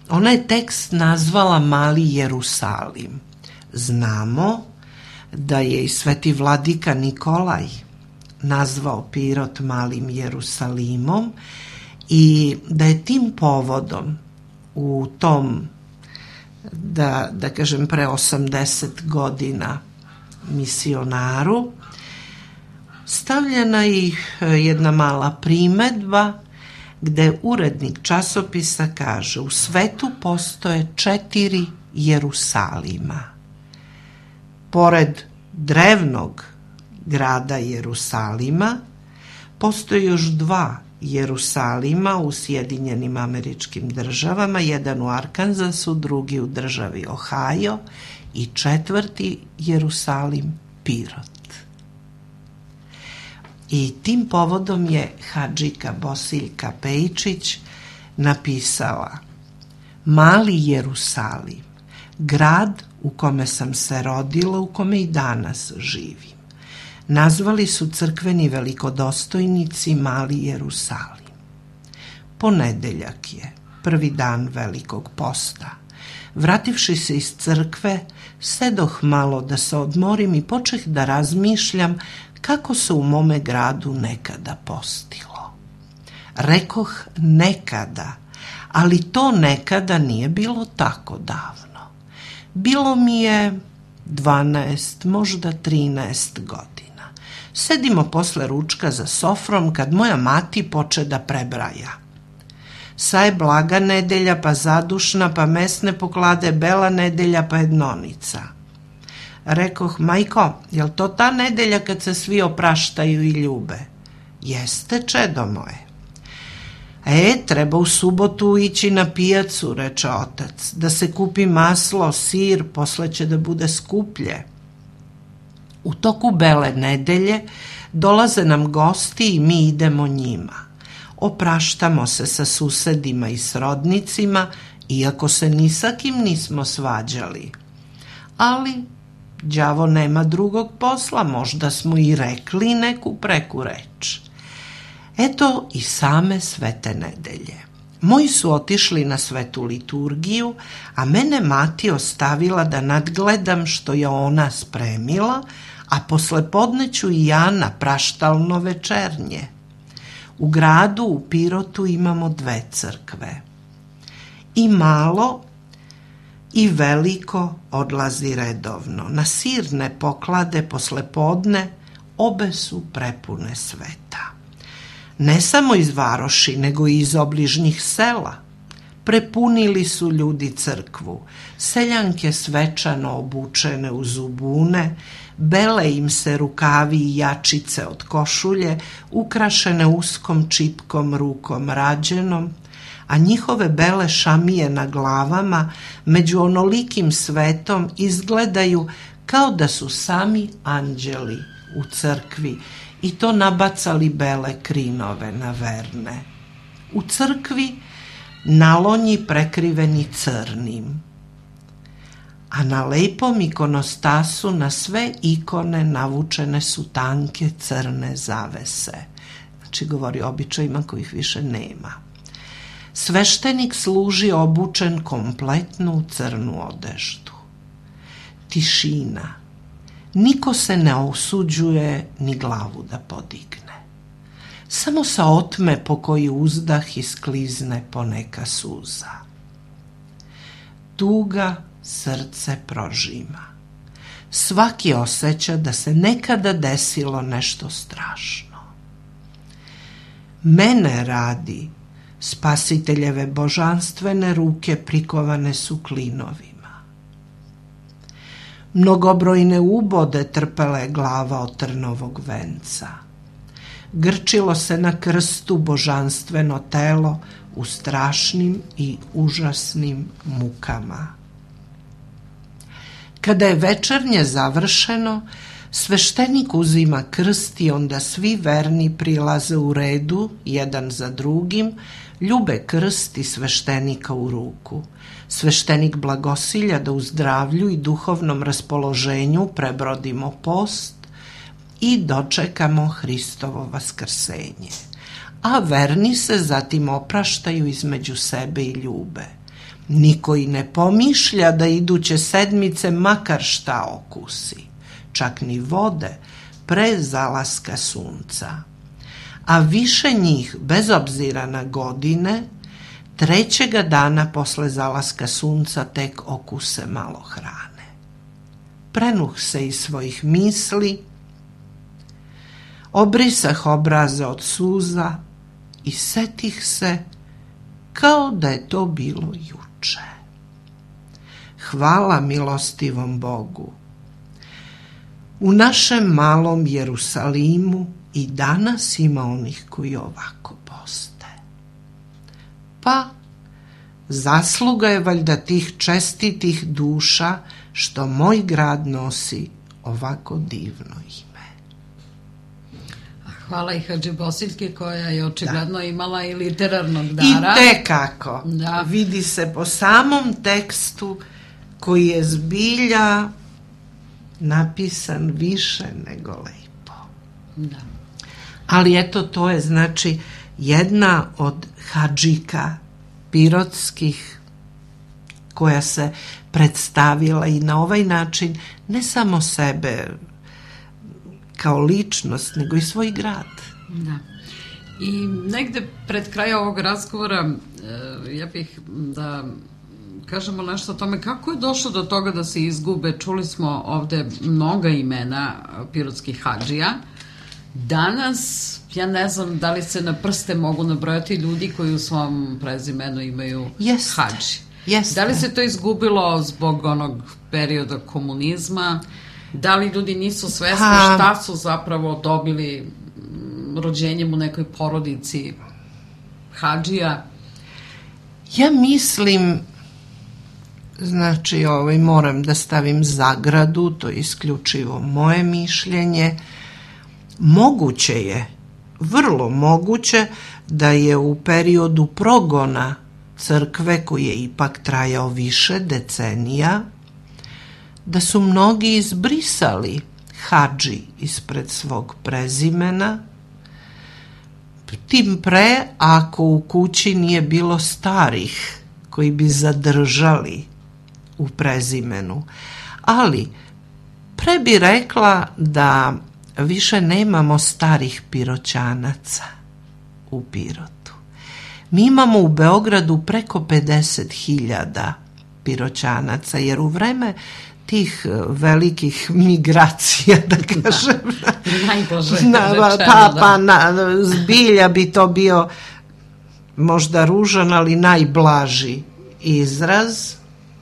Ona je tekst nazvala Mali Jerusalim. Znamo da je i sveti vladika Nikolaj nazvao Pirot Malim Jerusalimom i da je tim povodom u tom, da, da kažem, pre osamdeset godina misionaru stavljena i jedna mala primedba gde urednik časopisa kaže: u svetu postoje četiri Jerusalima. Pored drevnog grada Jerusalima postoje još dva Jerusalima u Sjedinjenim Američkim Državama, jedan u Arkansasu, drugi u državi Ohio i četvrti Jerusalim Pirot. I tim povodom je hadžika Bosiljka Pejičić napisala: Mali Jerusalim, grad u kome sam se rodila, u kome i danas živim, nazvali su crkveni velikodostojnici Mali Jerusalim. Ponedeljak je, prvi dan Velikog posta. Vrativši se iz crkve, sedoh malo da se odmorim i počeh da razmišljam kako se u mome gradu nekada postilo. Rekoh nekada, ali to nekada nije bilo tako davno. Bilo mi je dvanaest, možda trinaest godina. Sedimo posle ručka za sofrom kad moja mati poče da prebraja. Sa je blaga nedelja, pa zadušna, pa mesne poklade, bela nedelja, pa jednonica. Rekoh: majko, jel to ta nedelja kad se svi opraštaju i ljube? Jeste, čedo moje. E, treba u subotu ići na pijacu, reče otac, da se kupi maslo, sir, posle će da bude skuplje. U toku bele nedelje dolaze nam gosti i mi idemo njima. Opraštamo se sa susedima i srodnicima, iako se ni sa kim nismo svađali. Ali đavo nema drugog posla, možda smo i rekli neku preku reč. Eto i same svete nedelje. Moji su otišli na svetu liturgiju, a mene mati ostavila da nadgledam što je ona spremila, a posle podneću i ja na praštalno večernje. U gradu, u Pirotu, imamo dve crkve. I malo i veliko odlazi redovno. Na sirne poklade posle podne obe su prepune sveta. Ne samo iz varoši, nego i iz obližnjih sela. Prepunili su ljudi crkvu, seljanke svečano obučene u zubune, bele im se rukavi i jačice od košulje, ukrašene uskom čipkom rukom rađenom, a njihove bele šamije na glavama među onolikim svetom izgledaju kao da su sami anđeli u crkvi i to nabacali bele krinove na verne. U crkvi nalonji prekriveni crnim, a na lepom ikonostasu na sve ikone navučene su tanke crne zavese. Znači govori o običajima kojih više nema. Sveštenik služi obučen kompletno u crnu odeždu. Tišina. Niko se ne osuđuje ni glavu da podigne. Samo sa otme po koji uzdah isklizne poneka suza. Tuga srce prožima. Svaki osjeća da se nekada desilo nešto strašno. Mene radi Spasiteljeve božanstvene ruke prikovane su klinovima. Mnogobrojne ubode trpela je glava od trnovog venca. Grčilo se na krstu božanstveno telo u strašnim i užasnim mukama. Kada je večernje završeno, sveštenik uzima krst i onda svi verni prilaze u redu, jedan za drugim, ljube krst i sveštenika u ruku. Sveštenik blagosilja da u zdravlju i duhovnom raspoloženju prebrodimo post i dočekamo Hristovo vaskrsenje. A verni se zatim opraštaju između sebe i ljube. Niko i ne pomišlja da iduće sedmice makar šta okusi, čak ni vode pre zalaska sunca. A više njih, bez obzira na godine, trećega dana posle zalaska sunca tek okuse malo hrane. Prenuh se iz svojih misli, obrisah obraze od suza i setih se kao da je to bilo juče. Hvala milostivom Bogu. U našem malom Jerusalimu i danas ima onih koji ovako poste. Pa, zasluga je valjda tih čestitih duša što moj grad nosi ovako divno ime. Hvala i Hadži Bosiljki koja je očigledno da. imala i literarnog dara. I tekako. Da. Vidi se po samom tekstu koji je zbilja napisan više nego lepo. Da. Ali eto, to je znači jedna od hadžika pirotskih koja se predstavila i na ovaj način ne samo sebe kao ličnost, nego i svoj grad. Da. I negde pred kraja ovog razgovora ja bih da kažemo nešto o tome kako je došlo do toga da se izgube. Čuli smo ovde mnoga imena pirotskih hadžija. Danas, ja ne znam da li se na prste mogu nabrojati ljudi koji u svom prezimenu imaju Jeste. hadži. Jeste. Da li se to izgubilo zbog onog perioda komunizma? Da li ljudi nisu svesni ha. šta su zapravo dobili rođenjem u nekoj porodici hadžija? Ja mislim, znači ovaj, moram da stavim zagradu, to je isključivo moje mišljenje, moguće je, vrlo moguće da je u periodu progona crkve koji je ipak trajao više decenija, da su mnogi izbrisali hadži ispred svog prezimena, tim pre ako u kući nije bilo starih koji bi zadržali u prezimenu. Ali pre bi rekla da više nemamo starih Piroćanaca u Pirotu. Mi imamo u Beogradu preko pedeset hiljada Piroćanaca, jer u vreme tih velikih migracija, da kažem, da, najbolje na, pa, pa, na, zbilja bi to bio možda ružan, ali najblaži izraz.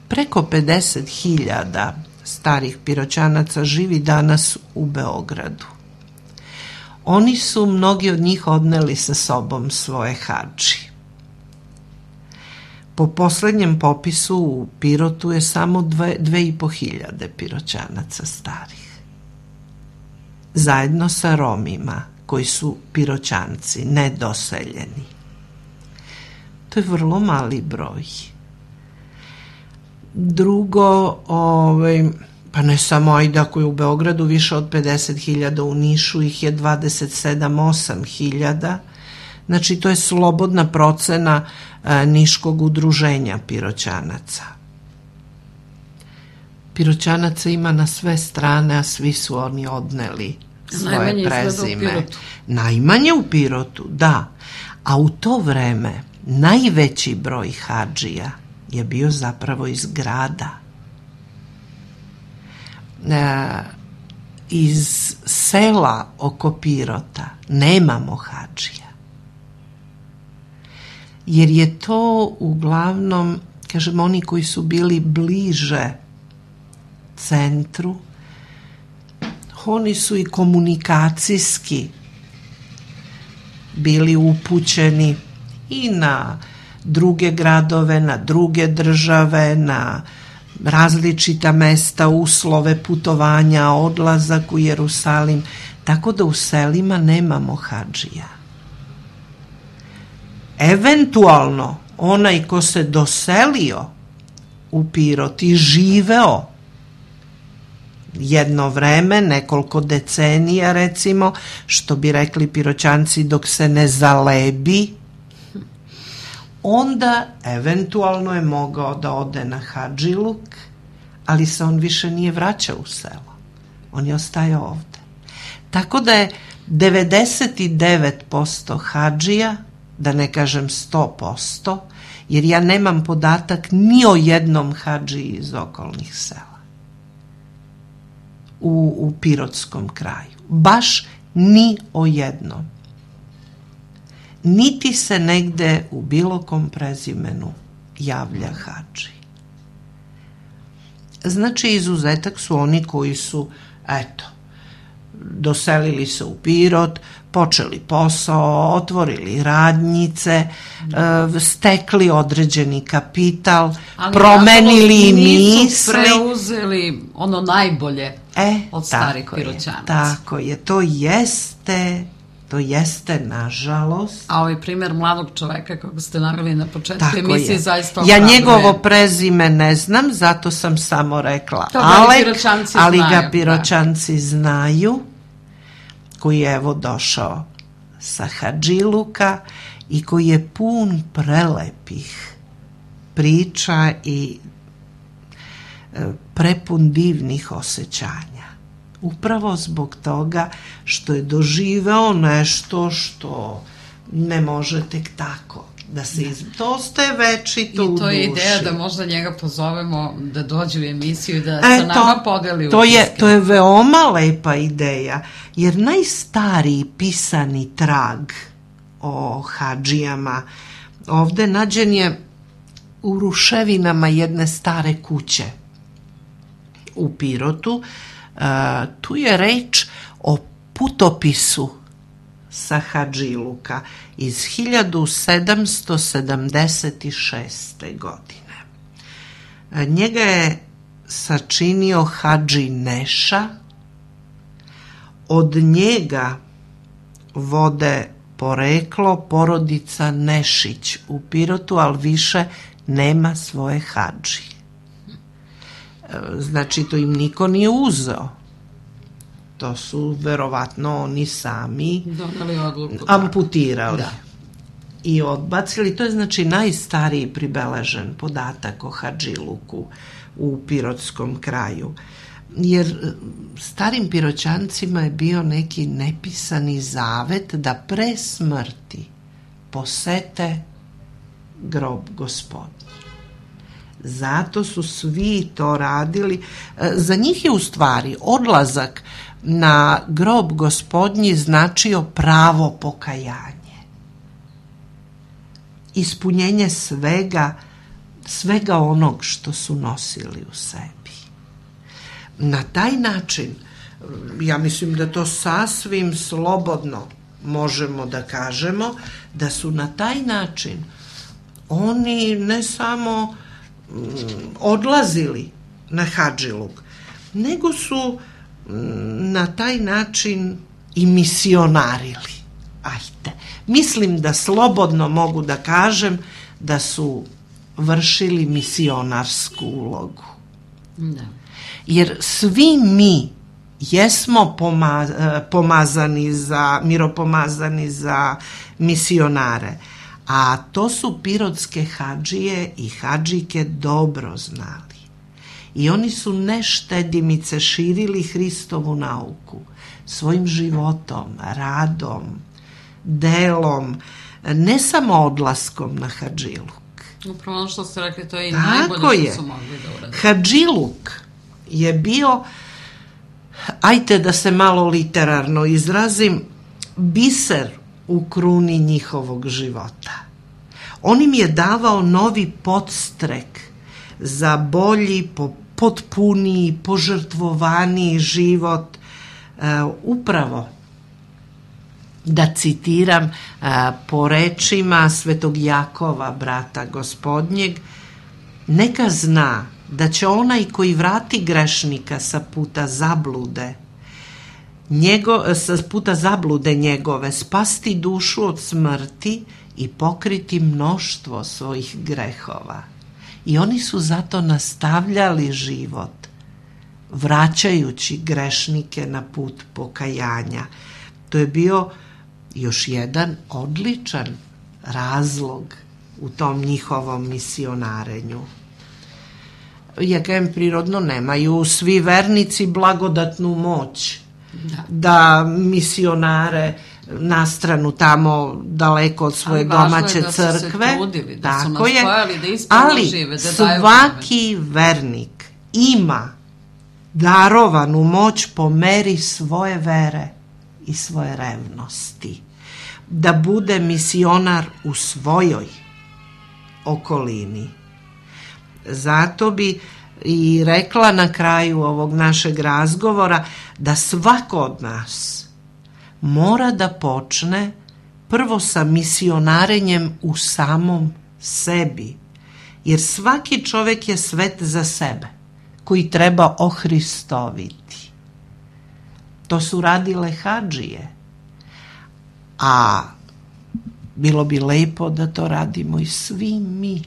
Preko pedeset hiljada starih Piroćanaca živi danas u Beogradu. Oni su, mnogi od njih, odneli sa sobom svoje hadži. Po poslednjem popisu u Pirotu je samo dve, dve i po hiljade Piroćanaca starih. Zajedno sa Romima, koji su Piroćanci, nedoseljeni. To je vrlo mali broj. Drugo, ovaj, pa ne samo ajde, ako je u Beogradu više od pedeset hiljada, u Nišu ih je dvadeset sedam do osam hiljada. Znači, to je slobodna procena a, Niškog udruženja Piroćanaca. Piroćanaca ima na sve strane, a svi su oni odneli svoje najmanje prezime. U Najmanje u Pirotu, da. A u to vreme najveći broj hadžija je bio zapravo iz grada. E, iz sela oko Pirota nemamo hadžija. jer je to uglavnom, kažem, oni koji su bili bliže centru, oni su i komunikacijski bili upućeni i na druge gradove, na druge države, na različita mesta, uslove putovanja, odlazak u Jerusalim, tako da u selima nemamo hadžija. Eventualno, onaj ko se doselio u Pirot i živeo jedno vreme, nekoliko decenija recimo, što bi rekli Piroćanci, dok se ne zalebi, onda eventualno je mogao da ode na hadžiluk, ali se on više nije vraćao u selo. On je ostajao ovde. Tako da je devedeset devet posto hadžija, da ne kažem sto posto, jer ja nemam podatak ni o jednom hadžiji iz okolnih sela u, u Pirotskom kraju. Baš ni o jednom. Niti se negde u bilo kom prezimenu javlja hadži. Znači, izuzetak su oni koji su, eto, doselili se u Pirot, počeli posao, otvorili radnjice, e, stekli određeni kapital, ali promenili misli. Nisu preuzeli ono najbolje e, od starih Piroćanaca. Tako je, to jeste... To jeste, nažalost. A ovaj primjer mladog čoveka, kako ste naveli na početku emisije, zaista ja njegovo prezime ne znam, zato sam samo rekla to Alek, ali znaju, ga Piroćanci da. znaju, koji je evo došao sa hadžiluka i koji je pun prelepih priča i prepun divnih osjećanja. Upravo zbog toga što je doživeo nešto što ne može tek tako da se iz... To ostaje večito u duši. I to je ideja da možda njega pozovemo da dođe u emisiju i da e, sa nama to, podeli to je, to je veoma lepa ideja, jer najstariji pisani trag o hadžijama ovde nađen je u ruševinama jedne stare kuće u Pirotu. Uh, tu je reč o putopisu sa hadžiluka iz hiljadu sedamsto sedamdeset šeste. godine. Uh, njega je sačinio hadži Neša. Od njega vode poreklo porodica Nešić u Pirotu, ali više nema svoje hadži. Znači, to im niko nije uzeo. To su verovatno oni sami doneli odluku, amputirali da. I odbacili. To je znači najstariji pribeležen podatak o hadžiluku u Pirotskom kraju. Jer starim Piroćancima je bio neki nepisani zavet da pre smrti posete grob Gospodnji. Zato su svi to radili. Za njih je u stvari odlazak na grob Gospodnji značio pravo pokajanje. Ispunjenje svega, svega onog što su nosili u sebi. Na taj način, ja mislim da to sasvim slobodno možemo da kažemo, da su na taj način oni ne samo odlazili na hadžiluk, nego su na taj način i misionarili. Ajde. Mislim da slobodno mogu da kažem da su vršili misionarsku ulogu. Da. Jer svi mi jesmo pomazani za, miropomazani za misionare, a to su pirotske hadžije i hadžike dobro znali. I oni su neštedimice širili Hristovu nauku svojim životom, radom, delom, ne samo odlaskom na hadžiluk. Upravo ono što ste rekli, to je i najbolje što su mogli da urade. Hadžiluk je bio, ajte da se malo literarno izrazim, biser u kruni njihovog života. On im je davao novi podstrek za bolji, potpuniji, požrtvovaniji život. E, upravo, da citiram e, po rečima Svetog Jakova, brata Gospodnjeg, neka zna da će onaj koji vrati grešnika sa puta zablude, njego, sa puta zablude njegove, spasti dušu od smrti i pokriti mnoštvo svojih grehova. I oni su zato nastavljali život, vraćajući grešnike na put pokajanja. To je bio još jedan odličan razlog u tom njihovom misionarenju. Ja kažem, prirodno nemaju svi vernici blagodatnu moć da, da misionare na stranu tamo daleko od svoje domaće je da crkve. Se trudili, da tako su nastojali, je, da ispravno ali žive, da svaki vernik ima darovanu moć po meri svoje vere i svoje revnosti. Da bude misionar u svojoj okolini. Zato bi i rekla na kraju ovog našeg razgovora da svako od nas mora da počne prvo sa misionarenjem u samom sebi, jer svaki čovjek je svet za sebe, koji treba ohristoviti. To su radile hadžije, a bilo bi lepo da to radimo i svi mi.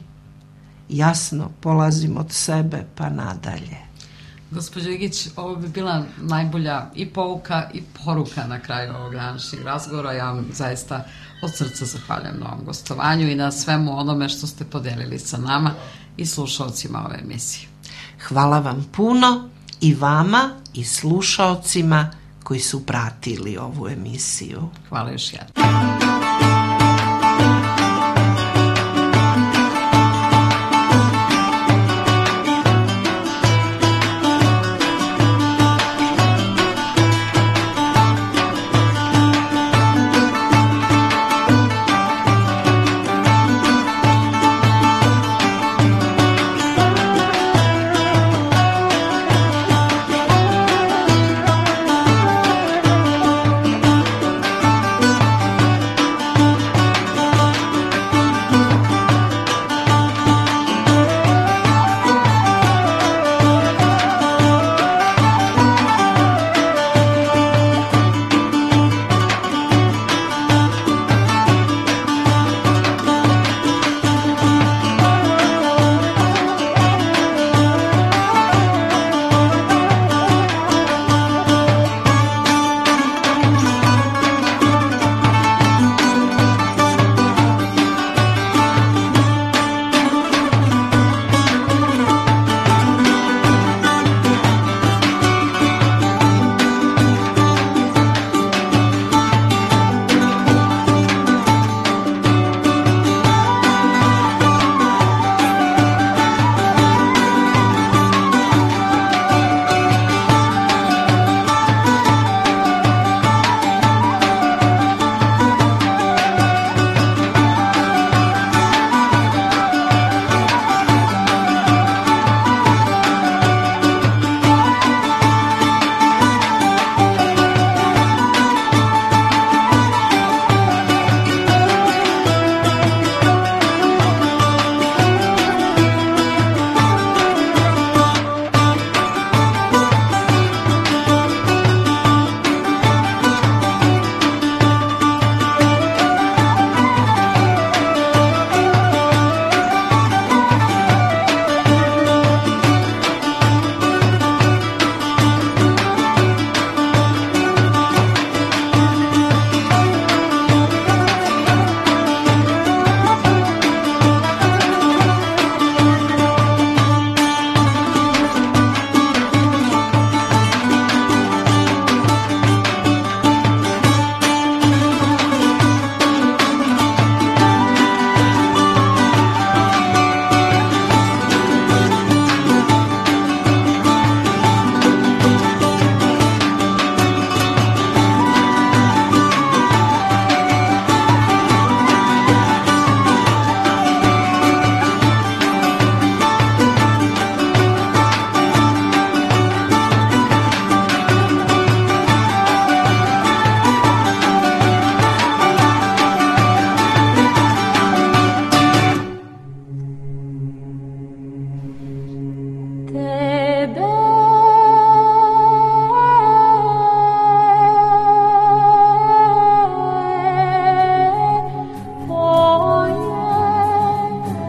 Jasno, polazim od sebe pa nadalje. Gospođo Igić, ovo bi bila najbolja i pouka i poruka na kraju ovog današnjeg razgovora. Ja vam zaista od srca zahvaljujem na ovom gostovanju i na svemu onome što ste podelili sa nama i slušalcima ove emisije. Hvala vam puno i vama i slušalcima koji su pratili ovu emisiju. Hvala još jednom.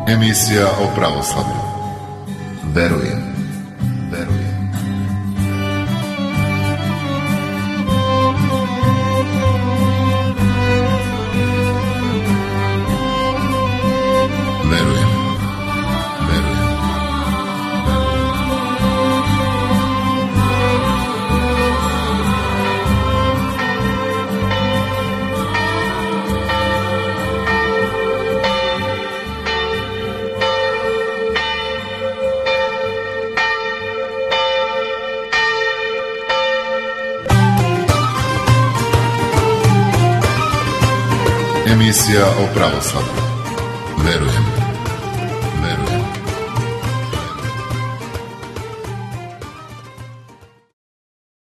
Emisija o pravoslavlju. Verujem, verujem. Verujem, verujem. Emisija o pravoslavlju. Verujem.